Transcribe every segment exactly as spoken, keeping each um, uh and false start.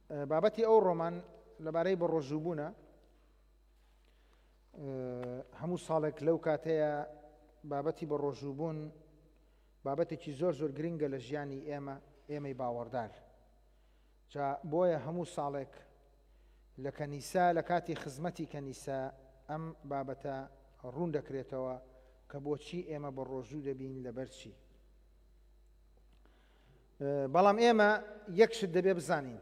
بابەتی ئەو ڕۆمان لەبارەی بە ڕۆژووبوونە. هەموو ساڵێک لەو کاتەیە بابەتی بە ڕۆژووبوون بابەتێکی زۆر زۆر گرنگە لە ژیانی ئێمە، ئێمەی باوەڕدار. جا بۆیە هەموو ساڵێک لە کەنیسا، لە کاتی خزمەتی کەنیسا ئەم بابەتە ڕوون دەکرێتەوە کە بۆچی ئێمە بە ڕۆژوو دەبین، لەبەر چی. بەڵام ئێمە یەک شت دەبێ بزانین،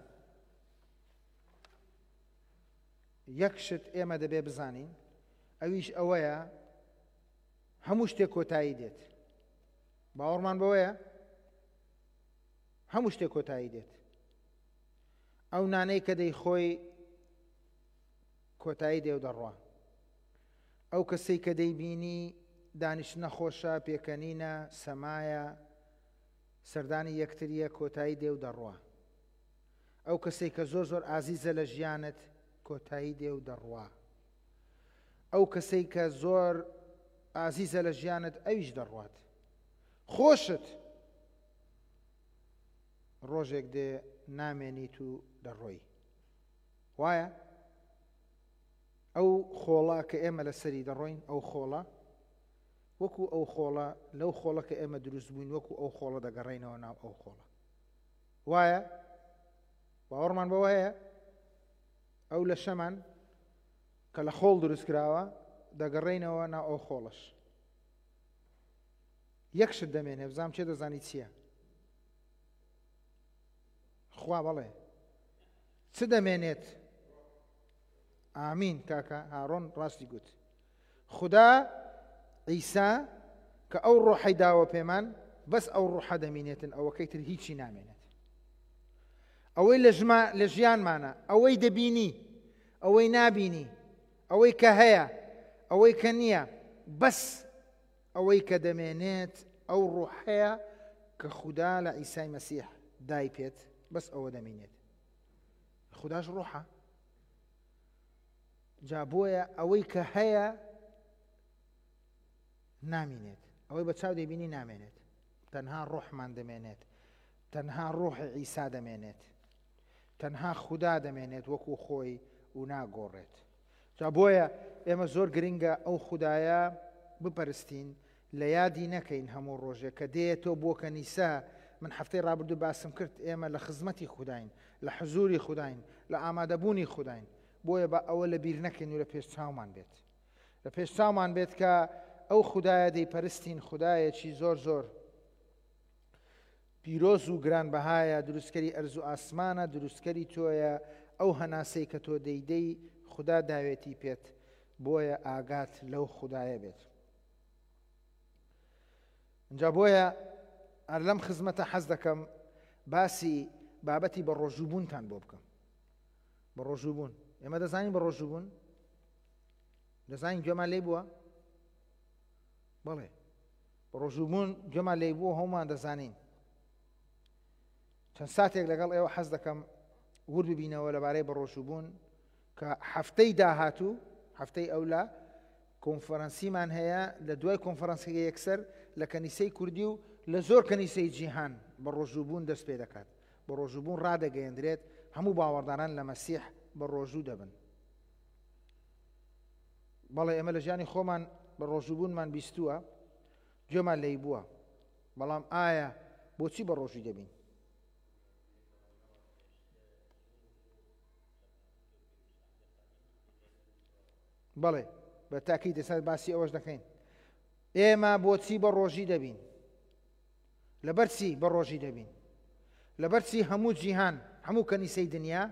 یەک شت ئێمە دەبێ بزانین، ئەویش ئەوەیە هەموو شتێک کۆتایی دێت. باوەڕمان بەوەیە هەموو شتێک کۆتایی دێت. ئەو نانەی کە دەیخۆی کۆتایی دێ و دەڕوا، ئەو کەسەی کە دەیبینی دانیشتنە خۆشە، پێکەنینە، سەمایە، سەردانی یەکتریە، کۆتایی دێ و دەڕوا. ئەو کەسەی کە زۆر زۆر ئازیزە لە ژیانت کۆتایی دێ و دەڕوا. ئەو کەسەی کە زۆر ئازیزە لە ژیانت ئەویش دەڕوات. خۆشت ڕۆژێک دێ نامێنیت و دەڕۆی. وایە ئەو خۆڵە کە ئێمە لەسەری دەڕۆین، ئەو خۆڵە وەکو ئەو خۆڵە، لەو خۆڵە کە ئێمە دروست بووین وەکو ئەو خۆڵە دەگەڕێینەوە ناو ئەو خۆڵە. وایە باوەڕمان بەوە هەیە ئەو لەشەمان کە لە خۆڵ دروست کراوە دەگەڕێینەوە ناو ئەو خۆڵەش. یەک شت دەمێنێ، بزانم چێ دەزانی چییە؟ خوا بەڵێ چ دەمێنێت؟ ئامین کاکە هارۆن ڕاستی گوت. خدا عیسا کە ئەو ڕۆحەی داوە پێمان، بەس ئەو ڕۆحە دەمینێتن، ئەوەکەی تر هیچی نامێنێت. ئەوەی لە ژیانمانە، ئەوەی دەبینی، ئەوەی نابینی، ئەوەی کە هەیە، ئەوەی کە نییە، بەس ئەوەی کە دەمێنێت ئەو ڕۆحەیە کە خودا لە عیسای مەسیح دای پێت، بەس ئەوە دەمینێت. خوداش ڕۆحە. جا بۆیە ئەوەی کە هەیە نامینێت، ئەوەی بە چاو دەبینی نامێنێت، تەنها ڕۆحمان دەمێنێت، تەنها ڕۆحی عیسا دەمێنێت، تەنها خودا دەمێنێت وەکو خۆی و ناگۆڕێت. جا بۆیە ئێمە زۆر گرنگە ئەو خودایە بپەرستین، لە یادی نەکەین هەموو ڕۆژێک کە دێتەوە بۆ کەنیسا. من هەفتەی ڕابردوو باسم کرد ئێمە لە خزمەتی خوداین، لە حزوری خوداین، لە ئامادەبوونی خوداین. بۆیە بە ئەوە لە بیر نەکەین و لە پێش چاومان بێت، لە پێش چاومان بێت کە ئەو خودایە دەیپەرستین، خودایەکی زۆر زۆر پیرۆز و گرانبەهایە، دروستکەری ئەرز و ئاسمانە، دروستکەری تۆیە. ئەو هەناسەی کە تۆ دەیدەی خودا داوێتی پێت، بۆیە ئاگات لەو خودایە بێت. اینجا بۆیە هەر لەم خزمەتە حەز دەکەم باسی بابەتی بە ڕۆژووبوونتان بۆ بکەم. بە ڕۆژووبوون ئێمە دەزانین بە ڕۆژووبوون، دەزانین گوێمان لێی بووە؟ بەڵێ بە ڕۆژووبوون گوێمان لێی بووە، هەمومان دەزانین. چەند ساتێک لەگەڵ ئێوە حەز دەکەم ورد ببینەوە لەبارەی بە ڕۆژووبوون کە هەفتەی داهاتوو، هەفتەی ئەولا کۆنفرانسیمان هەیە. لە دوای کۆنفرانسەکە یەکسەر لە کەنیسەی کوردی و لە زۆر کەنیسەی جیهان بە ڕۆژووبوون دەست پێ دەکات، بە ڕۆژووبوون ڕادەگەیەندرێت، هەموو باوەڕداران لە مەسیح بە ڕۆژوو دەبن. بەڵێ ئێمە لە ژیانی خۆمان بە ڕۆژووبوونمان بیستووە، گوێمان لێی بووە، بەڵام ئایا بۆچی بە ڕۆژووی دەبین؟ بەڵێ بە تاکی دەسەر باسی ئەوەش دەکەین. ئێمە بۆچی بە ڕۆژی دەبین؟ لەبەر چی بە ڕۆژی دەبین؟ لەبەر چی هەموو جیهان، هەموو کەنیسەی دنیا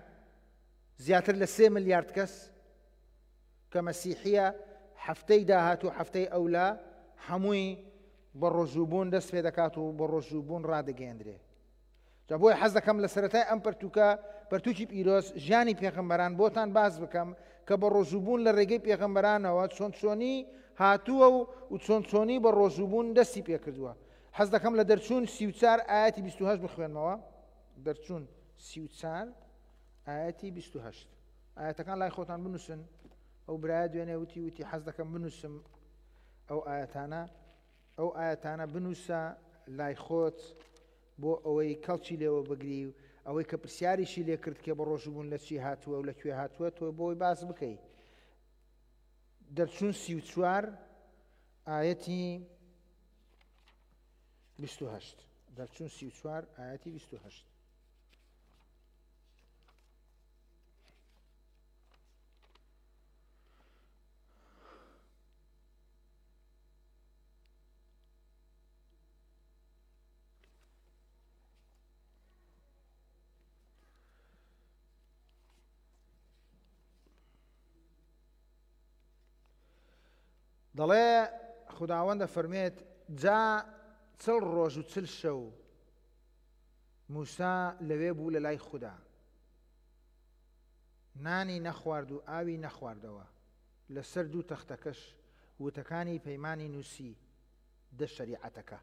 زیاتر لە سێ ملیارد کەس کە مەسیحیە هەفتەی داهاتوو، هەفتەی ئەولا هەمووی بە ڕۆژووبوون دەست پێ دەکات و بە ڕۆژووبوون ڕادەگەیەندرێ. جا بۆیە حەز دەکەم لە سەرەتای ئەم پەرتووکە، پەرتووکی پیرۆز ژیانی پێغەمبەران بۆتان باس بکەم کە بە ڕۆژووبوون لە ڕێگەی پێغەمبەرانەوە چۆن چۆنی هاتووە و چۆن چۆنی بە ڕۆژووبوون دەستی پێکردووە. حەز دەکەم لە دەرچوون سی و چوار ئاەتی بیست و هەشت بخوێنمەوە. دەرچوون سی و چوار ئاەتی بیست و هەشت. ئاەتەکان لای خۆتان بنووسن. ئەو برایە دوێنێ وتی وتی حەز دەکەم بنووسم ئەو ئاەتانە، ئەو ئاەتانە بنووسە لای خۆت بۆ ئەوەی کەڵکی لێوە بگری و ئەوەی کە پرسیاریشی لێکرد کە بە ڕۆژووبوون لە چی هاتووە و لە کوێ هاتووە تۆ بۆی باس بکەی. دەرچوون سی و چوار ئایەتی بیست و هەشت. دەرچوون سی و چوار ئایەتی بیست و هەشت. دەڵێ خداوەند دەفەرمێت جا چل ڕۆژ و چل شەو موسا لەوێ بوو لە لای خودا، نانی نەخوارد و ئاوی نەخواردەوە، لەسەر دوو تەختەکەش وتەکانی پەیمانی نووسی دە شەریعەتەکە.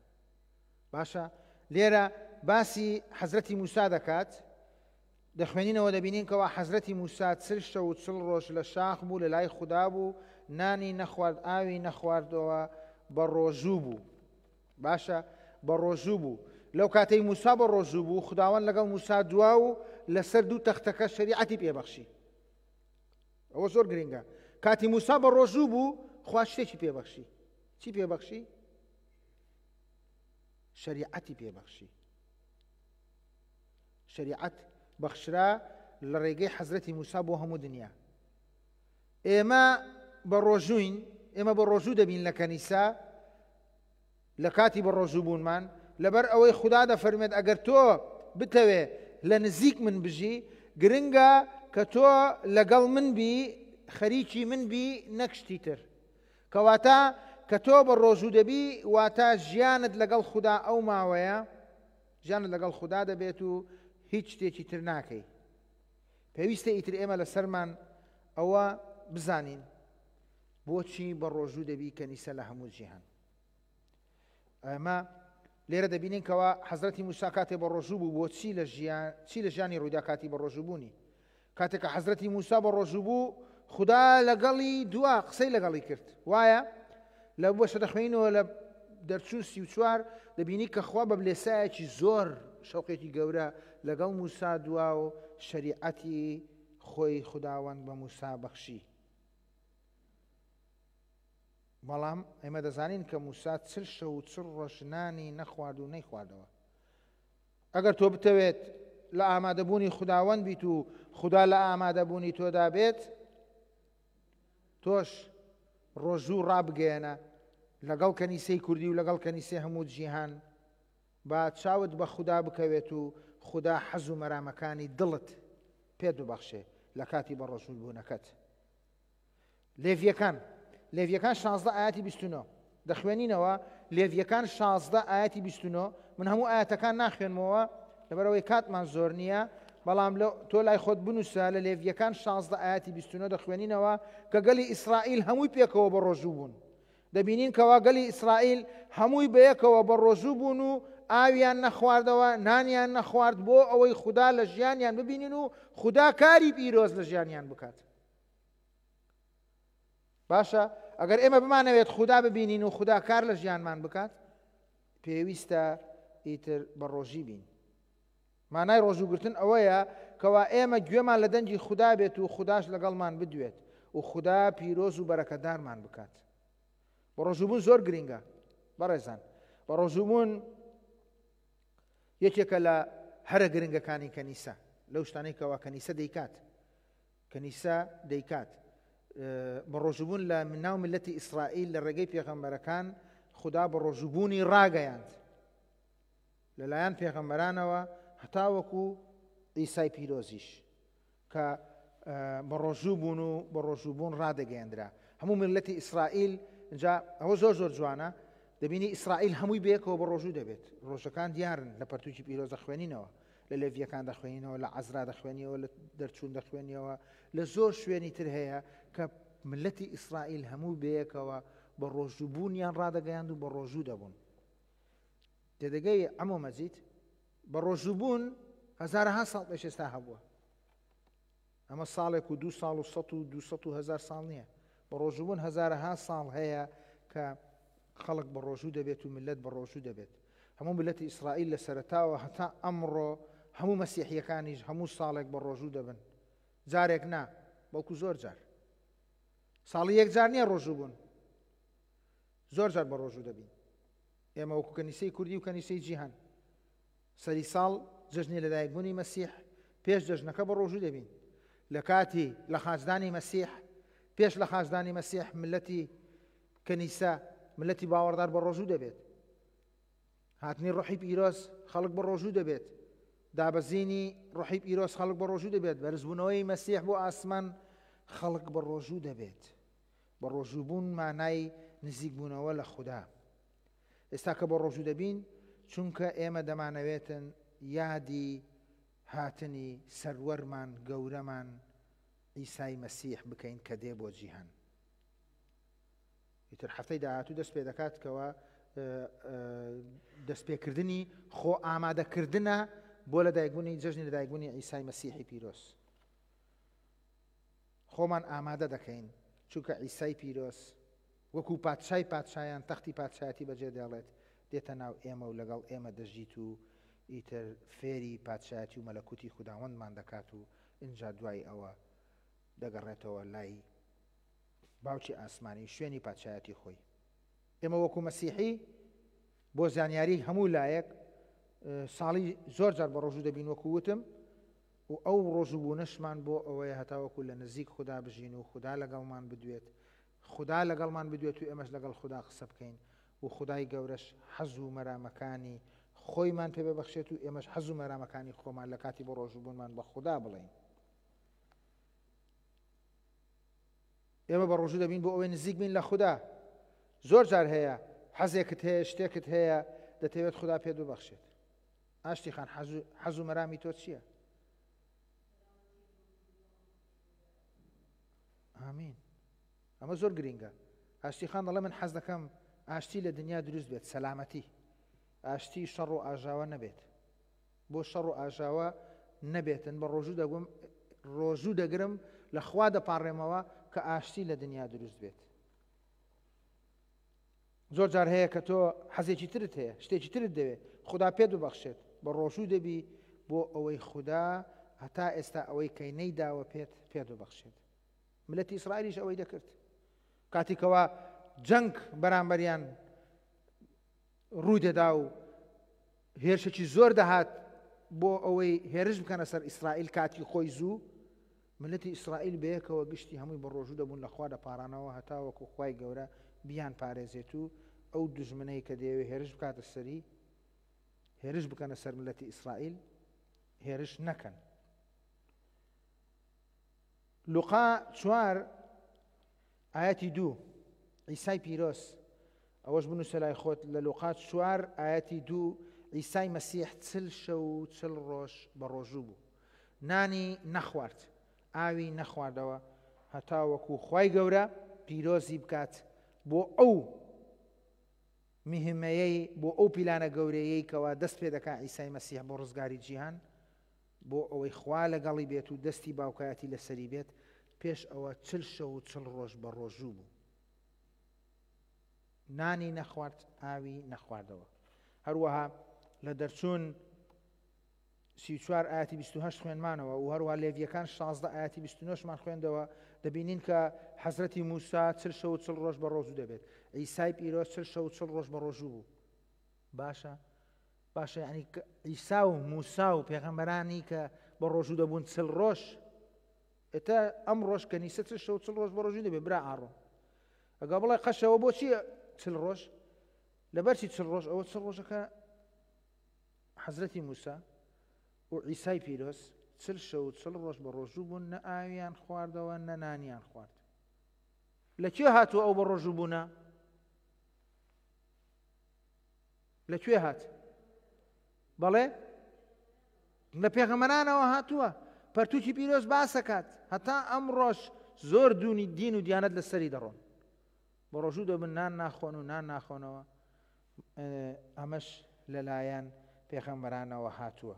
باشە لێرە باسی حەزرەتی موسا دەکات، دەخوێنینەوە دەبینین کەوا حەزرەتی موسا چل شەو و چل ڕۆژ لە شاخ بوو لە لای خودا بوو، نانی نەخوارد ئاوی نەخواردەوە، بە ڕۆژوو بوو. باشە بە ڕۆژوو بوو. لەو کاتەی موسا بە ڕۆژوو بوو خداوەند لەگەڵ موسا دوا و لەسەر دوو تەختەکە شەریعەتی پێبەخشی. ئەوە زۆر گرنگە. کاتی موسا بە ڕۆژوو بوو خوا شتێکی پێبەخشی. چی پێبەخشی؟ شەریعەتی پێبەخشی. شەریعەت بەخشرا لە ڕێگەی حەزرەتی موسا بۆ هەموو دنیا. ئێمە بە ڕۆژووین، ئێمە بە ڕۆژوو دەبین لە کەنیسا لە کاتی بە ڕۆژوو بوونمان، لەبەر ئەوەی خودا دەفەرمێت ئەگەر تۆ بتەوێ لە نزیک من بژی، گرنگە کە تۆ لەگەڵ من بی، خەریکی من بی، نەک شتی تر. کەواتە کە تۆ بە ڕۆژوو دەبی واتە ژیانت لەگەڵ خودا ئەو ماوەیە، ژیانت لەگەڵ خودا دەبێت و هیچ شتێکی تر ناکەی. پێویستە ئیتر ئێمە لەسەرمان ئەوە بزانین بۆچی بە ڕۆژوو دەبی کەنیسە لە هەموو جیهان. ئەمە لێرە دەبینین کەوا حەزرەتی موسا کاتێ بە ڕۆژوو بوو بۆچی لە ژیان چی لە ژیانی ڕوویدا کاتی بە ڕۆژوو بوونی. کاتێک کە حەزرەتی موسا بە ڕۆژوو بوو خودا لەگەڵی دوا قسەی لەگەڵی کرد. وایە لە بەشە دەخوێنینەوە لە دەرچوون سی و چوار دەبینی کە خوا بە بلێسایەکی زۆر شەوقێکی گەورە لەگەڵ موسا دوا و شەریعەتی خۆی خداوەند بە موسا بەخشی. بەڵام ئێمە دەزانین کە موسا چل شەو و چل ڕۆژ نانی نەخوارد و نەیخواردەوە. ئەگەر تۆ بتەوێت لە ئامادەبوونی خداوەند بیت و خودا لە ئامادەبوونی تۆدا بێت، تۆش ڕۆژوو ڕابگەیەنە لەگەڵ کەنیسەی کوردی و لەگەڵ کەنیسەی هەموو جیهان، با چاوت بە خودا بکەوێت و خودا حەز و مەرامەکانی دڵت پێت ببەخشێ لە کاتی بە ڕۆژوو بوونەکەت. لێڤیەکان لێڤیەکان شازدە ئاەتی بیست و نۆ دەخوێنینەوە. لێڤیەکان شازدە ئاەتی بیست و نۆ. من هەموو ئاەتەکان ناخوێنمەوە لەبەرەوەی کاتمان زۆر نییە، بەڵام تۆ لای خۆت بنووسە لە لێڤیەکان شازدە ئاەتی بیست و نۆ دەخوێنینەوە کە گەلی ئیسرائیل هەمووی پێکەوە بە ڕۆژوو بوون. دەبینین کەوا گەلی ئیسرائیل هەمووی بەیەکەوە بە ڕۆژوو بوون و ئاویان نەخواردەوە، نانیان نەخوارد بۆ ئەوەی خودا لە ژیانیان ببینین و خودا کاری پیرۆز لە ژیانیان بکات. باشە ئەگەر ئێمە بمانەوێت خودا ببینین و خودا کار لە ژیانمان بکات، پێویستە ئیتر بە ڕۆژی بین. مانای ڕۆژووگرتن ئەوەیە کەوا ئێمە گوێمان لە دەنگی خودا بێت و خوداش لەگەڵمان بدوێت و خودا پیرۆز و بەرەکەدارمان بکات. بە ڕۆژووبوون زۆر گرنگە بەڕێزان. بە ڕۆژووبوون یەکێکە لە هەرە گرنگەکانی کەنیسە، لەو شتانەی کەوا کەنیسە دەیکات. کەنیسە دەیکات بە ڕۆژووبوون لە ناو ملەتی ئیسرائیل لە ڕێگەی پێغەمبەرەکان خودا بە ڕۆژووبوونی ڕاگەیاند لەلایەن پێغەمبەرانەوە هەتاوەکو ئیسای پیرۆزیش کە بە ڕۆژوو بوون و بە ڕۆژووبوون ڕادەگەیەندرا هەموو ملەتی ئیسرائیل. اینجا ئەوە زۆر زۆر جوانە، دەبینی ئیسرائیل هەمووی بەیەکەوە بە ڕۆژوو دەبێت. ڕۆژەکان دیارن لە پەرتوکی پیرۆز دەخوێنینەوە، لە لێڤیەکان دەخوێنینەوە، لە عەزرا دەخوێنیەوە، لە دەرچوون دەخوێنیەوە، لە زۆر شوێنی تر هەیە کە ملەتی ئیسرائیل هەموو بەیەکەوە بە ڕۆژووبوونیان ڕادەگەیاند و بە ڕۆژوو دەبوون. تێدەگەی عەمۆ مەجید بە ڕۆژووبوون هەزارەها ساڵ پێش ئێستا هەبووە. ئەمە ساڵێک و دوو ساڵ و سەد و دوو سەد و هەزار ساڵ نییە. بە ڕۆژووبوون هەزارەها ساڵ هەیە کە خەڵک بە ڕۆژوو دەبێت و ملت بە ڕۆژوو دەبێت. هەموو ملەتی ئیسرائیل لە سەرەتاوە هەتا ئەمڕۆ هەموو مەسیحیەکانیش هەموو ساڵێک بە ڕۆژوو دەبن. جارێک نا، بەڵکو زۆر جار. ساڵی یەک جار نییە ڕۆژوو بوون، زۆر جار بە ڕۆژوو دەبین. ئێمە وەکو کەنیسەی کوردی و کەنیسەی جیهان سەری ساڵ جەژنی لەدایکبوونی مەسیح پێش جەژنەکە بە ڕۆژوو دەبین. لە کاتی لە خاچدانی مەسیح، پێش لە خاچدانی مەسیح ملەتی کەنیسە، ملەتی باوەڕدار بە ڕۆژوو دەبێت. هاتنی ڕۆحی پیرۆز خەڵک بە ڕۆژوو دەبێت. دابەزینی ڕۆحی پیرۆز خەڵک بە ڕۆژوو دەبێت. بەرزبوونەوەی مەسیح بۆ ئاسمان خەڵک بە ڕۆژوو دەبێت. بە ڕۆژوو بوون مانای نزیکبوونەوە لە خودا. ئێستا کە بە ڕۆژوو دەبین، چونکە ئێمە دەمانەوێتن یادی هاتنی سەروەرمان گەورەمان عیسای مەسیح بکەین کە دێ بۆ جیهان. ئیتر هەفتەی داهاتوو دەست پێ دەکات کەوە دەستپێکردنی خۆ ئامادەکردنە بۆ لەدایکبوونی جەژنی لەدایکبوونی عیسای مەسیحی پیرۆز. خۆمان ئامادە دەکەین چونکە عیسای پیرۆز وەکو پادشای پادشایان تەختی پادشایەتی بەجێ دێڵێت، دێتە ناو ئێمە و لەگەڵ ئێمە دەژیت و ئیتر فێری پادشایەتی و مەلەکوتی خوداوەندمان دەکات و ئینجا دوای ئەوە دەگەڕێتەوە لای باوکی ئاسمانی شوێنی پادشایەتی خۆی. ئێمە وەکو مەسیحی بۆ زانیاری هەموو لایەک ساڵی زۆر جار بە ڕۆژوو دەبین وەکو وتم، و ئەو ڕۆژوو بوونەشمان بۆ ئەوەیە هەتاوەکو لە نزیک خودا بژین و خودا لەگەڵمان بدوێت، خودا لەگەڵمان بدوێت و ئێمەش لەگەڵ خودا قسە بکەین و خودای گەورەش حەز و مەرامەکانی خۆیمان پێ ببەخشێت و ئێمەش حەز و مەرامەکانی خۆمان لە کاتی بۆ ڕۆژووبوونمان بە خودا بڵێین. ئێمە بە ڕۆژوو دەبین بۆ ئەوەی نزیک بین لە خودا. زۆر جار هەیە حەزێکت هەیە، شتێکت هەیە، دەتەوێت خودا پێت ببەخشێت. ئاشتی خان، حەز و مەرامی تۆ چییە؟ ئامین. ئەمە زۆر گرینگە. ئاشتی خان دەڵێ من حەز دەکەم ئاشتی لە دنیا دروست بێت، سەلامەتی، ئاشتی شەڕ و ئاژاوە نەبێت. بۆ شەڕ و ئاژاوە نەبێتن بە ڕۆژوو دەگوم، ڕۆژوو دەگرم لە خوا دەپاڕێمەوە کە ئاشتی لە دنیا دروست بێت. زۆر جار هەیە کە تۆ حەزێکی ترت هەیە، شتێکی ترت دەوێت، خودا پێت ببەخشێت، بە ڕۆژوو دەبی بۆ ئەوەی خودا هەتا ئێستا ئەوەی کەی نەیداوە پێت پێت ببەخشێت. ملەتی ئیسرائیلیش ئەوەی دەکرد. کاتێکەوە جەنگ بەرامبەریان ڕوو دەدا و هێرشێکی زۆر دەهات بۆ ئەوەی هێرش بکەنە سەر ئیسرائیل کاتی خۆی زوو، ملەتی ئیسرائیل بەیەکەوە گشتی هەمووی بە ڕۆژوو دەبوون لە خوا دەپارانەوە هەتاوەکو خوای گەورە بیان پارێزێت و ئەو دوژمنەی کە دەیەوێت هێرش بکاتە سەری، هێرش بکەنە سەر ملەتی ئیسرائیل، هێرش نەکەن. لوقا چوار ئاەتی دوو، عیسای پیرۆز، ئەوەش بنووسە لای خۆت، لە لوقا چوار ئاەتی دوو عیسای مەسیح چل شەو و چل ڕۆژ بە ڕۆژوو بوو، نانی نەخوارد، ئاوی نەخواردەوە هەتاوەکو خوای گەورە پیرۆزی بکات بۆ ئەو مهمەیەی، بۆ ئەو پیلانە گەورەیەی کەوا دەست پێ دەکا عیسای مەسیح بۆ ڕزگاری جیهان، بۆ ئەوەی خوا لەگەڵی بێت و دەستی باوکایەتی لەسەری بێت. پێش ئەوە چل شەو و چل ڕۆژ بە ڕۆژوو بوو، نانی نەخوارد، ئاوی نەخواردەوە. هەروەها لە دەرچوون سی و چوار ئاەتی بیست و هەشت خوێنمانەوە و هەروەها لێڤیەکان شازدە ئاەتی بیست و نۆشمان خوێندەوە، دەبینین کە حەزرەتی موسا چل شەو و چل ڕۆژ بە ڕۆژوو دەبێت، عیسای پیرۆز چل شەو و چل ڕۆژ بە ڕۆژوو بوو. باشە باشە، یعنی عیسا و موسا و پێغەمبەرانی کە بە ڕۆژوو دەبوون چل ڕۆژ، ئێتا ئەم ڕۆژ کەنیسە چل شەو و چل ڕۆژ بە ڕۆژوو دەبێت. برا ئاڕۆ ئەگە بڵێ قەشەوە بۆچی چل ڕۆژ؟ لەبەرچی چل ڕۆژ؟ ئەوە چل ڕۆژەکە حەزرەتی موسا و عیسای پیرۆز چل شەو و چل ڕۆژ بە ڕۆژوو بوون، نە ئاویان خواردەوە نە نانیان خوارد. لەکوێ هاتووە ئەو بە ڕۆژوو بوونە؟ لەکوێ هات؟ بەڵێ لە پێغەمبەرانەوە هاتووە. پەرتوکی پیرۆز باسەکات هەتا ئەم ڕۆژ زۆر دوونی دین و دیانەت لەسەری دەڕۆن، بە ڕۆژوو دەبن نان ناخۆن و نان ناخۆنەوە. ئەمەش لەلایەن پێغەمبەرانەوە هاتووە.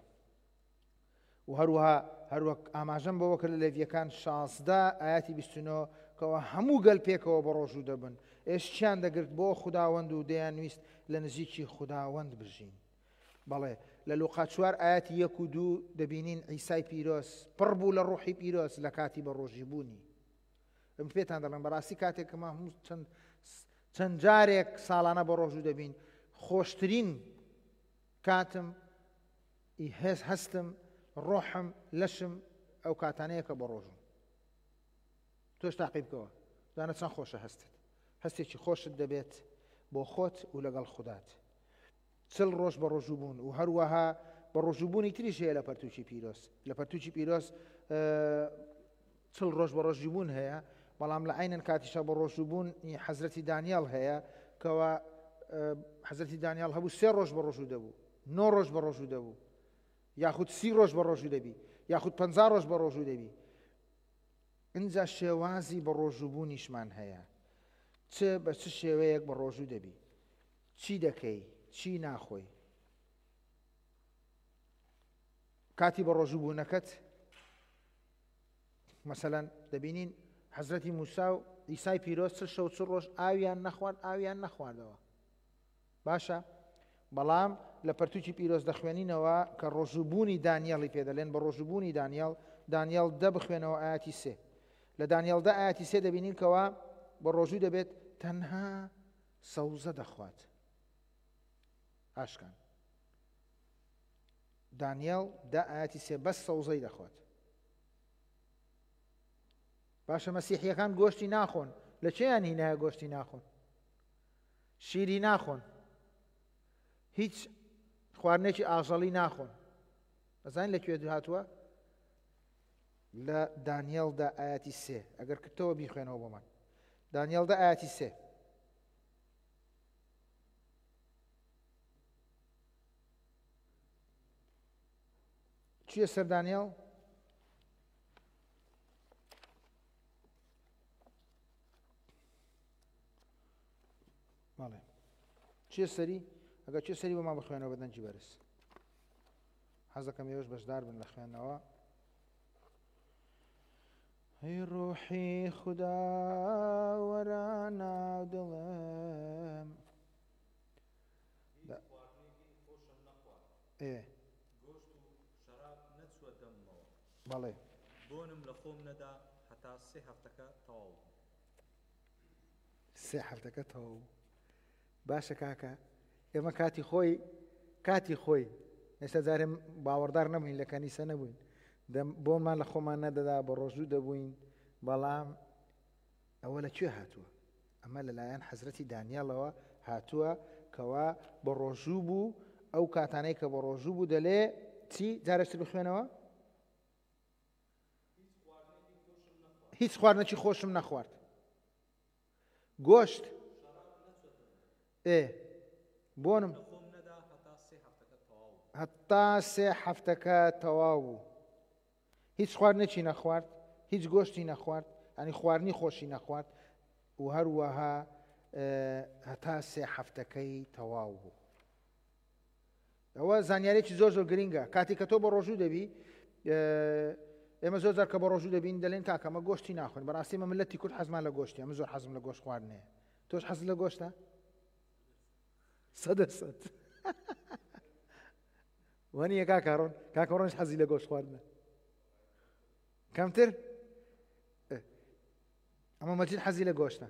و هەروەها هەروەک ئاماژەم بەوە کرد لە لێڤیەکان شازدە ئاەتی بیست و نۆ کەەوە هەموو گەل پێکەوە بە ڕۆژوو دەبن، ئێشتیان دەگرت بۆ خوداوەند و دەیانویست لە نزیکی خوداوەند بژین. بەڵێ لە لوقا چوار ئاەتی یەک و دوو دەبینین عیسای پیرۆز پڕ بوو لە ڕۆحی پیرۆز لە کاتی بە ڕۆژی بوونی. ئەم پێتان دەڵێم بەڕاستی کاتێک کە ما هەموو چەند چەند جارێک ساڵانە بە ڕۆژوو دەبین، خۆشترین کاتم هێز هەستم ڕۆحم لەشم ئەو کاتانەیە کە بە ڕۆژوم. تۆش تاقی بکەوە دانە چەند خۆشە هەستت، هەستێکی خۆشت دەبێت بۆ خۆت و لەگەڵ خودات. چل ڕۆژ بە ڕۆژوو بوون و هەروەها بە ڕۆژووبوونی تریش هەیە لە پەرتوکی پیرۆز. لە پەرتوکی پیرۆز چل ڕۆژ بە ڕۆژی بوون هەیە، بەڵام لە عینەن کاتیشە بە ڕۆژووبوون حەزرەتی دانیال هەیە کەوا حەزرەتی دانیال هەبوو سێ ڕۆژ بە ڕۆژوو دەبوو، نۆ ڕۆژ بە ڕۆژوو دەبوو، یاخود سی ڕۆژ بە ڕۆژوو دەبی، یاخود پەنجا ڕۆژ بە ڕۆژوو دەبی. ئینجا شێوازی بە ڕۆژووبوونیشمان هەیە، چ بە چ شێوەیەک بە ڕۆژوو دەبی، چی دەکەی، چی ناخۆی. کاتی بە ڕۆژووبوونەکەت مەسەلەن دەبینین حەزرەتی موسا و عیسای پیرۆز چل شەو چل ڕۆژ ئاویان نەخوارد، ئاویان نەخواردەوە. باشە، بەڵام لە پەرتوکی پیرۆز دەخوێنینەوە کە ڕۆژووبوونی دانیالی پێدەلێن بە ڕۆژووبوونی دانیال، دانیال دە بخوێنەوە ئاەتی سێ. لە دانیال دە ئاەتی سێ دەبینین کەوا بە ڕۆژوو دەبێت تەنها سەوزە دەخوات. ئاشکان دانیال دە ئاەتی سێ بەس سەوزەی دەخوات. باشە، مەسیحیەکان گۆشتی ناخۆن، لە چێیان هینایە گۆشتی ناخۆن، شیری ناخۆن، هیچ خواردنێکی ئاژەڵی ناخۆن. ئەزانین لەکوێ هاتووە؟ لە دانیێلدا ئاەتی سێ. ئەگەر کردەوە بیخوێنەوە بۆمان. دانیێلدا ئاەتی سێ. چییە سەر دانیێل؟ بەڵێ چییە سەری؟ ئەگەر چیە سەری بۆمان بخوێنەوە بە دەنگی بەرز. حەز دەکەم ئێوەش بەشدار بن لە خوێندنەوە. ئەی ڕۆحی خودا وەرە ناو دڵم. ئێ گۆشت و شەراب نەچووە دەممەوە، بەڵێ بۆنم لە خۆم نەدا هەتا سێ هەفتەکە تەواو بوو. سێ هەفتەکە تەواو بوو. باشە کاکە، ئێمە کاتی خۆی کاتی خۆی ئێستا جارێ باوەڕدار نەبووین، لە کەنیسە نەبووین، بۆمان لە خۆمان نەدەدا، بە ڕۆژوو دەبووین. بەڵام ئەوە لەکوێ هاتووە؟ ئەمە لەلایەن حەزرەتی دانیالەوە هاتووە کەوا بە ڕۆژوو بوو. ئەو کاتانەی کە بە ڕۆژوو بوو دەلێ چی؟ جارێکتر بخوێنەوە. هیچ خواردنێکی خۆشم نەخوارد، گۆشت ئێ بۆنم هەتا سێ هەفتەکە تەواو بوو. هیچ خواردنێکی نەخوارد، هیچ گۆشتی نەخوارد، ینی خواردنی خۆشی نەخوارد و هەروەها هەتا سێ هەفتەکەی تەواو بوو. ئەوە زانیارێکی زۆر زۆر گرنگە. کاتێک کە تۆ بە ڕۆژوو دەبی، ئێمە زۆر جار کە بە ڕۆژوو دەبین دەلێن کاکە ئەمە گۆشتی ناخۆین. بەڕاستی ئێمە ملەتی کورد حەزمان لە گۆشتی، ئەمە زۆر حەزم لە گۆشت خواردنەیە. تۆش حەزت لە گۆشتە؟ سەدە سەد. وانییە کاکە ڕۆن؟ کاکە ڕۆنش حەزی لە گۆشت خواردنە. کەمتر؟ ئەمە مەجید حەزی لە گۆشتە،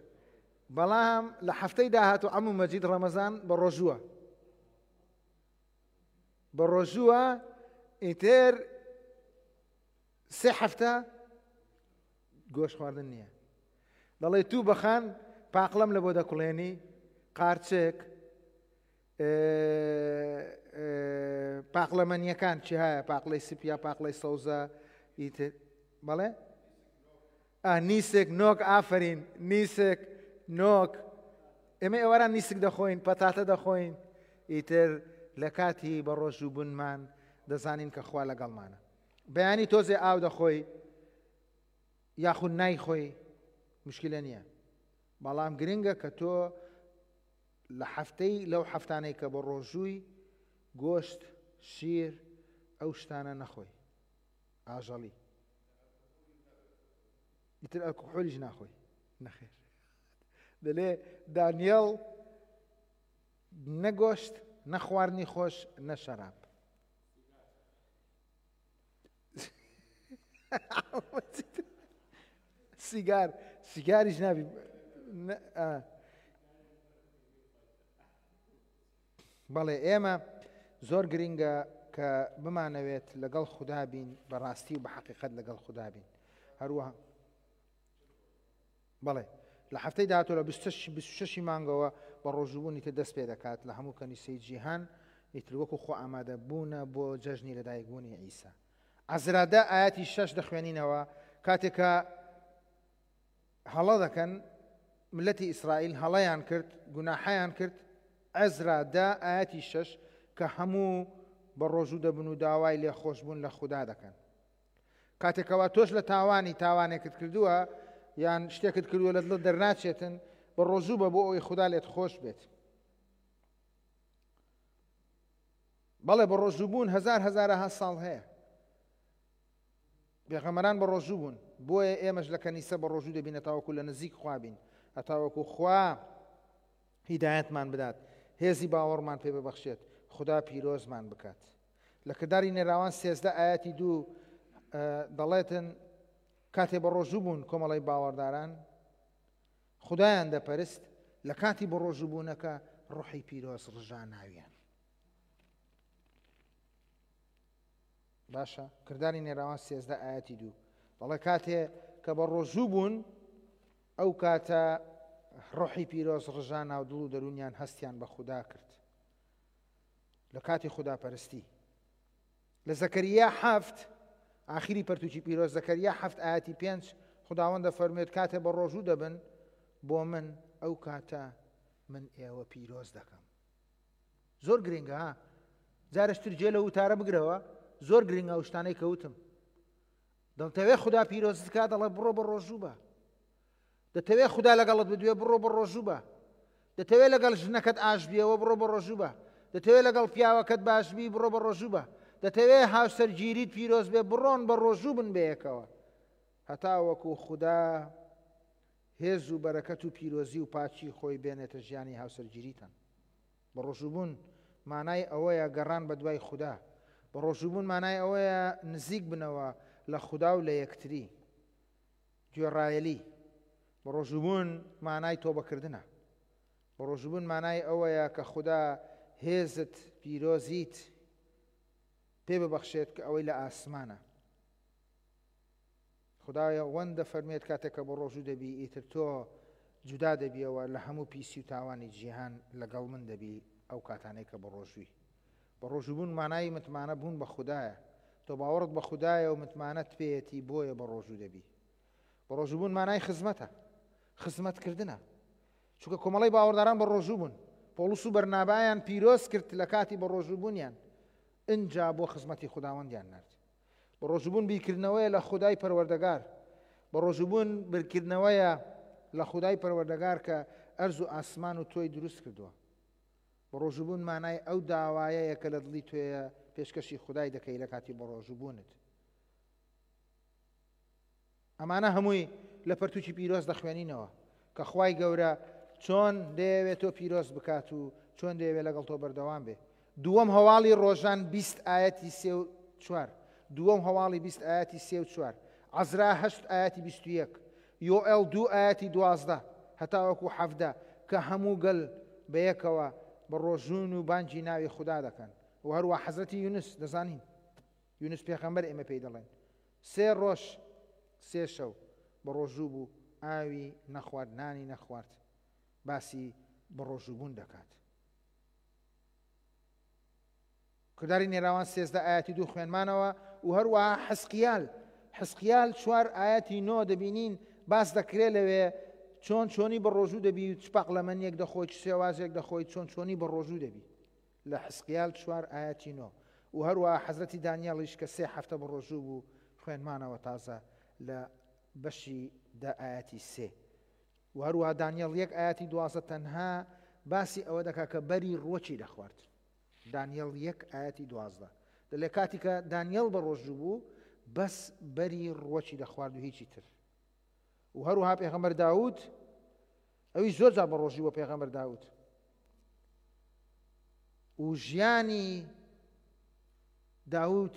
بەڵام لە هەفتەی داهاتوو ئەمە مەجید ڕەمەزان بە ڕۆژووە، بە ڕۆژووە ئیتر سێ هەفتە گۆشت خواردن نییە. دەڵێ تو بەخان پاقلەم لە بۆ دەکوڵێنی، قارچێک، پاقلەمەنیەکان چی هەیە، پاقلەی سپیا، پاقلەی سەوزە، ئیتر بەڵێ نیسک نۆک، ئافرین نیسک نۆک. ئێمە ئێواران نیسک دەخۆین، پەتاتە دەخۆین. ئیتر لە کاتی بە ڕۆژوو بوونمان دەزانین کە خوا لەگەڵمانە. بەیانی تۆزێ ئاو دەخۆی یاخود نایخۆی مشکلە نییە، بەڵام گرنگە کە تۆ لە هەفتەی لەو هەفتانەی کە بە ڕۆژووی گۆشت، شیر، ئەو شتانە نەخۆی، ئاژەڵی. ئیتر ئەلکحۆلیش ناخۆی، نەخێر. دەلێ دانیێل نەگۆشت، نەخواردنی خۆش، نە شەراب. سیگار سیگاریش نابی. بەڵێ ئێمە زۆر گرنگە کە بمانەوێت لەگەڵ خودا بین، بەڕاستی و بە حەقیقەت لەگەڵ خودا بین. هەروەها بەڵێ لە هەفتەی داهاتوو لە بیست و شەشی مانگەوە بە ڕۆژووبوونی تر دەست پێ دەکات لە هەموو کەنیسەی جیهان، ئیتر وەکو خۆ ئامادە بوونە بۆ جەژنی لەدایکبوونی عیسا. عەزرادە ئاەتی شەش دەخوێنینەوە، کاتێکە هەڵە دەکەن ملەتی ئیسرائیل هەڵەیان کرد، گوناحیان کرد. عەزرادە ئاەتی شەش کە هەموو بە ڕۆژوو دەبن و داوای لێخۆشبوون لە خودا دەکەن. کاتێکەوە تۆش لە تاوانی تاوانێکت کردووە یان شتێکت کردووە لە دڵت دەرناچێتن، بە ڕۆژوو بە بۆ ئەوەی خودا لێت خۆش بێت. بەڵێ بە ڕۆژوو بوون هەزار هەزارەها ساڵ هەیە، پێغەمبەران بە ڕۆژوو بوون، بۆیە ئێمەش لە کەنیسە بە ڕۆژوو دەبین هەتاوەکو لە نزیک خوا بین، هەتاوەکو خوا هیدایەتمان بدات، هێزی باوەڕمان پێ ببەخشێت، خدا پیرۆزمان بکات. لە کرداری نێراوان سێزدە ئاەتی دوو دەڵێتن کاتێ بە ڕۆژوو بوون کۆمەڵی باوەڕداران خدایان دەپەرست، لە کاتی بە ڕۆژوو بوونەکە ڕۆحی پیرۆز ڕژا ناویان. باشە، کرداری نێراوان سێزدە ئاەتی دوو دەڵێ کاتێ کە بە ڕۆژوو بوون ئەو کاتە ڕۆحی پیرۆز ڕژا ناو دڵ و دەروونیان هەستیان بە خودا کرد لە کاتی خوداپەرستی. لە زەکەریا حەفت ئاخری پەرتوکی پیرۆز زەکەریا حەفت ئاەتی پێنج خداوەند دەفەرموێت کاتێ بە ڕۆژوو دەبن بۆ من ئەو کاتە من ئێوە پیرۆز دەکەم. زۆر گرنگە ها، جارشتر جێ لە وتارە بگرەوە، زۆر گرنگە ئەو شتانەی کەوتم. دەتەوێت خودا پیرۆزت کا، دەڵێ بڕۆ بە ڕۆژوو بە. دەتەوێت خودا لەگەڵت بدوێ، بڕۆ بە ڕۆژوو بە. دەتەوێت لەگەڵ ژنەکەت ئاش بیەوە، بڕۆ بە ڕۆژوو بە. دەتەوێت لەگەڵ پیاوەکەت باش بی، بڕۆ بە ڕۆژوو بە. دەتەوێت هاوسەرگیریت پیرۆز بێ، بڕۆن بە ڕۆژوو بن بەیەکەوە، هەتا وەکو خودا هێز و بەرەکەت و پیرۆزی و پاچی خۆی بێنێتە ژیانی هاوسەرگیریتان. بە ڕۆژووبوون مانای ئەوەیە گەڕان بە دوای خودا، بە ڕۆژووبوون مانای ئەوەیە نزیک بنەوە لە خودا و لە یەکتری، گوێڕایەلی. بە ڕۆژووبوون مانای تۆبەکردنە. بە ڕۆژووبوون مانای ئەوەیە کە خودا هێزت پیرۆزیت پێ ببەخشێت کە ئەوەی لە ئاسمانە. خدایە وەندە فەرمێت کاتێک کە بە ڕۆژوو دەبی ئیتر تۆ جودا دەبیەوە لە هەموو پیسی و تاوانی جیهان لەگەڵ من دەبی ئەو کاتانەی کە بە ڕۆژووی. بە ڕۆژووبوون مانای متمانە بوون بە خودایە، تۆ باوەڕت بە خودایە و متمانەت پێیەتی بۆیە بە ڕۆژوو دەبی. بە ڕۆژووبوون مانای خزمەتە، خزمەتکردنە، چونکە کۆمەڵی باوەڕداران بە ڕۆژوو بوون. پۆڵس و بەرنابایان پیرۆز کرد لە کاتی بە ڕۆژووبوونیان، ئینجا بۆ خزمەتی خوداوەندیان نرد. بە ڕۆژووبوون بیرکردنەوەیە لە خودای پەروەردەگار، بە ڕۆژووبوون بیرکردنەوەیە لە خودای پەروەردەگار کە ئەرز و ئاسمان و تۆی دروست کردووە. بە ڕۆژووبوون مانای ئەو داوایەیە کە لە دڵی تۆیە پێشکەشی خودای دەکەی لە کاتی بە ڕۆژووبوونت. ئەمانە هەمووی لە پەرتوکی پیرۆز دەخوێنینەوە کە خوای گەورە چۆن دەیەوێت تۆ پیرۆز بکات و چۆن دەیەوێت لەگەڵ تۆ بەردەوام بێ. دووەم هەواڵی ڕۆژان بیست ئاەتی سێ و چوار، دووەم هەواڵی بیست ئاەتی سێ و چوار، عەزرا هەشت ئاەتی بیست و یەک، یۆئێل دوو ئاەتی دوازدە هەتاوەکو حەفدە کە هەموو گەل بەیەکەوە بە ڕۆژوون و بانگی ناوی خودا دەکەن. و هەروە حەزرەتی یونس دەزانین، یونس پێغەمبەر ئێمە پێی دەڵێن سێ ڕۆژ سێ شەو بە ڕۆژوو بوو، ئاوی نەخوارد، نانی نەخوارد، باسی بە ڕۆژووبوون دەکات. کرداری نێراوان سێزدە ئاەتی دوو خوێنمانەوە. و هەروەها حەسقیال، حەسقیال چوار ئاەتی نۆ دەبینین باس دەکرێت لەوێ چۆن چۆنی بە ڕۆژوو دەبی و چ پاقلەمەنیەک دەخۆی، چ شێوازێک دەخۆی، چۆن چۆنی بە ڕۆژوو دەبی لە حەسقیال چوار ئاەتی نۆ. و هەروەها حەزرەتی دانیالیش کە سێ هەفتە بە ڕۆژوو بوو خوێنمانەوە تازە لە بەشی دە ئاەتی سێ. و هەروەها دانیال یەک ئاەتی دوازدە تەنها باسی ئەوە دەکا کە بەری ڕووەکی دەخوارد. دانیال یەک ئاەتی دوازدە دەلێ کاتی کە دانیال بە ڕۆژوو بوو بەس بەری ڕووەکی دەخوارد و هیچی تر. و هەروەها پێغەمبەر داود ئەوی زۆر جار بە ڕۆژوو بە پێغەمبەر داود و ژیانی داود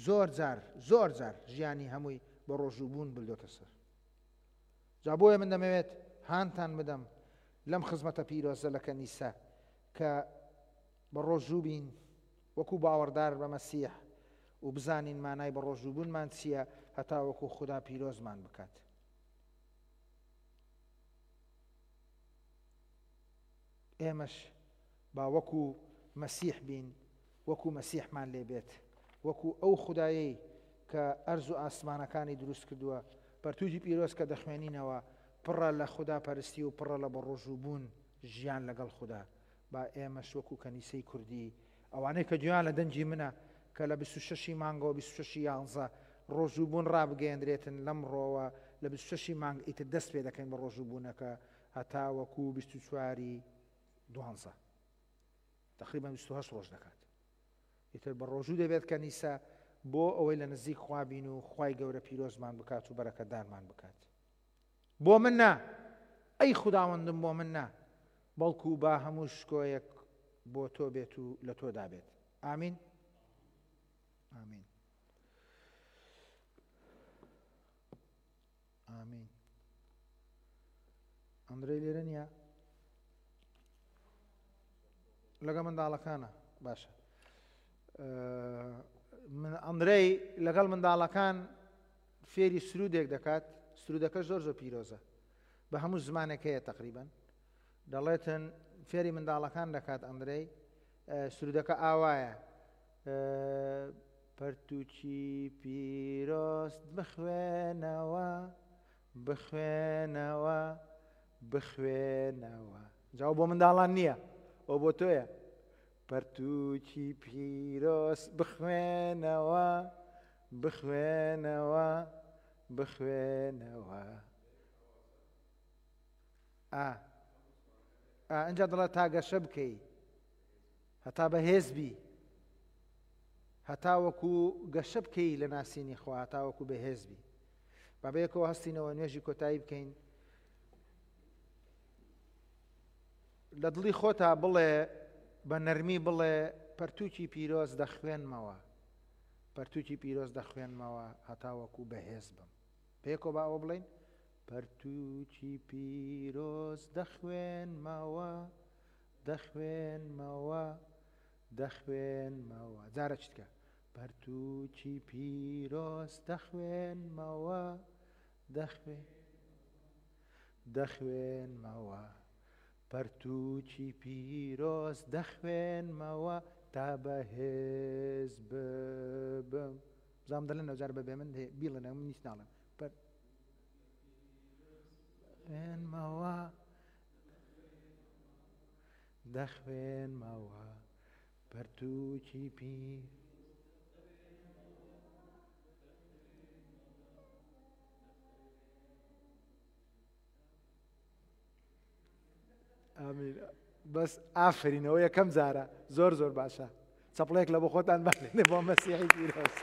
زۆر جار زۆر جار ژیانی هەمووی بە ڕۆژوو بوون بردۆتە سەر. جا بۆیە من دەمەوێت هانتان بدەم لەم خزمەتە پیرۆزە لە کەنیسە کە بە ڕۆژوو بین وەکو باوەڕدار بە مەسیح و بزانین مانای بە ڕۆژووبوونمان چییە هەتا وەکو خودا پیرۆزمان بکات. ئێمەش با وەکو مەسیح بین، وەکو مەسیحمان لێبێت، وەکو ئەو خودایەی کە ئەرز و ئاسمانەکانی دروست کردووە. پەرتووکی پیرۆز کە دەخوێنینەوە پڕە لە خودا پەرستی و پڕە لە بەڕۆژووبوون ژیان لەگەڵ خودا. با ئێمەش وەکو کەنیسەی کوردی، ئەوانەی کە گوێیان لە دەنگی منە کە لە بیست و شەشی مانگەوە بیست و شەشی یانزە ڕۆژووبوون ڕابگەیەندرێتن، لەم ڕۆوە لە بیست و شەشی مانگ ئیتر دەست پێ دەکەین بە ڕۆژووبوونەکە هەتا وەکو بیست و چواری دوانزە، تقریبا بیست و هەشت ڕۆژ دەکات. ئیتر بە ڕۆژوو دەبێت کەنیسە بۆ ئەوەی لە نزیک خوا بین و خوای گەورە پیرۆزمان بکات و بەرەکەتدارمان بکات. بۆ من نا، ئەی خوداوەندم بۆ من نا، بەڵکو با هەموو شکۆیەک بۆ تۆ بێت و لە تۆدا بێت. ئامین. ئامین. ئامین. ئەندرێ لێرە نییە؟ لەگەڵ منداڵەکانە. باشە. ئەندرێی لەگەڵ منداڵەکان فێری سرودێک دەکات. سرودەکە زۆر زۆر پیرۆزە، بە هەموو زمانێک هەیە تقریبا. دەڵێتن فێری منداڵەکان دەکات ئەندرێی. سرودەکە ئاوایە: پەرتووکی پیرۆز بخوێنەوە، بخوێنەوە، بخوێنەوە. جاو بۆ منداڵان نییە، ئەو بۆ تۆیە. پەرتووکی پیرۆز بخوێنەوە، بخوێنەوە، بخوێنەوە. ئا ئەنجا دەڵێت تا گەشە بکەی، هەتا بەهێز بی، هەتا وەکو گەشە بکەی لە ناسینی خوا، هەتا وەکو بەهێز بی. با بەیەکەوە هەستینەوە نوێژی کۆتایی بکەین. لە دڵی خۆتا بڵێ، بە نەرمی بڵێ، پەرتووکی پیرۆز دەخوێنمەوە، پەرتووکی پیرۆز دەخوێنمەوە هەتا وەکو بەهێز بم. پێکەوە با ئەوە بڵێین: پەرتووکی پیرۆز دەخوێنمەوە، دەخوێنمەوە، دەخوێنمەوە. جارە چیتکە؟ پەرتووکی پیرۆز دەخوێنمەوە، دەخوێن دەخوێنمەوە، پەرتووکی پیرۆز دەخوێنمەوە تا بەهێز ببم. بزانم دەڵێن ئەو جارە بەبێ من بیڵێنەوە، من هیچ ناڵێم. خوێنمەوە، دەخوێنمەوە، پەرتووکی پیر. ئامین. بەس ئافرینەوە یەکەم جارە، زۆر زۆر باشە. چەپڵێک لە بۆ خۆتان بالێنێ بۆ مەسیحی پیرۆز.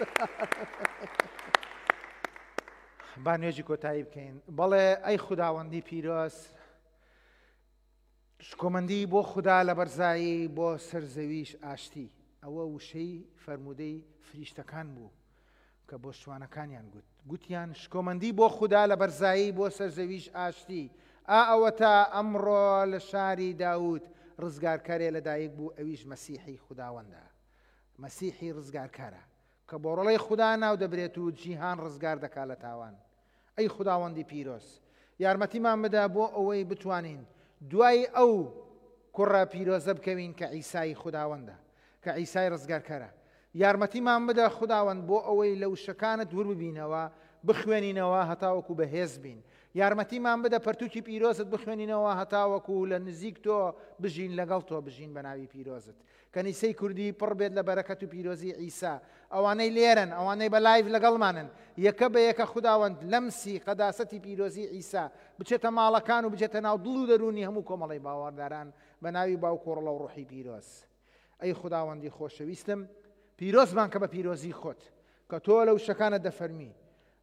با نوێژی کۆتایی بکەین. بەڵێ ئەی خوداوەندی پیرۆز، شکۆمەندی بۆ خودا لە بەرزایی، بۆ سەرزەویش ئاشتی. ئەوە وشەی فەرموودەی فریشتەکان بوو کە بۆ شوانەکانیان گوت. گوتیان شکۆمەندی بۆ خودا لە بەرزایی، بۆ سەرزەویش ئاشتی. ئا ئەوەتا ئەمڕۆ لە شاری داود ڕزگارکارێ لەدایک بوو، ئەویش مەسیحی خوداوەندە، مەسیحی ڕزگارکارە کە بۆ ڕۆڵەی خودا ناو دەبرێت و جیهان ڕزگار دەکا لە تاوان. ئەی خوداوەندی پیرۆز، یارمەتیمان بدە بۆ ئەوەی بتوانین دوای ئەو کوڕە پیرۆزە بکەوین کە عیسای خوداوەندە، کە عیسای ڕزگارکەرە. یارمەتیمان بدە خوداوەند بۆ ئەوەی لە وشەکانت ور ببینەوە، بخوێنینەوە هەتاوەکو بەهێز بین. یارمەتیمان بدە پەرتووکی پیرۆزت بخوێنینەوە هەتاوەکو لە نزیک تۆ بژین، لەگەڵ تۆ بژین بە ناوی پیرۆزت. کەنیسەی کوردی پڕ بێت لە بەرەکەت و پیرۆزی عیسا. ئەوانەی لێرن، ئەوانەی بە live لەگەڵمانن، یەکە بە یەکە خوداوەند لەمسی قەداسەتی پیرۆزی عیسا بچێتە ماڵەکان و بچێتە ناو دڵ و دەروونی هەموو کۆمەڵی باوەڕداران بە ناوی باوک و ڕۆڵە و ڕۆحی پیرۆز. ئەی خوداوەندی خۆشەویستم، پیرۆزمان کە بە پیرۆزی خۆت، کە تۆ لە وشەکانت دەفەرمی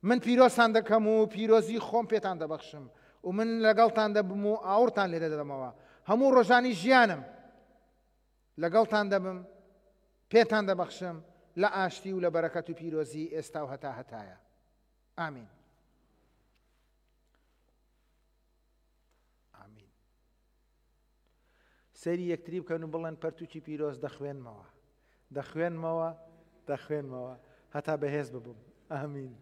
من پیرۆزتان دەکەم و پیرۆزی خۆم پێتان دەبەخشم و من لەگەڵتان دەبم و ئاوڕتان لێ دەدەمەوە. هەموو ڕۆژانی ژیانم لەگەڵتان دەبم، پێتان دەبەخشم لە ئاشتی و لە بەرەکەت و پیرۆزی ئێستا و هەتا هەتایە. ئامین. سەیری یەکتری بکەن و بڵێن پەرتوکی پیرۆز دەخوێنمەوە، دەخوێنمەوە، دەخوێنمەوە هەتا بەهێز ببم. ئامین.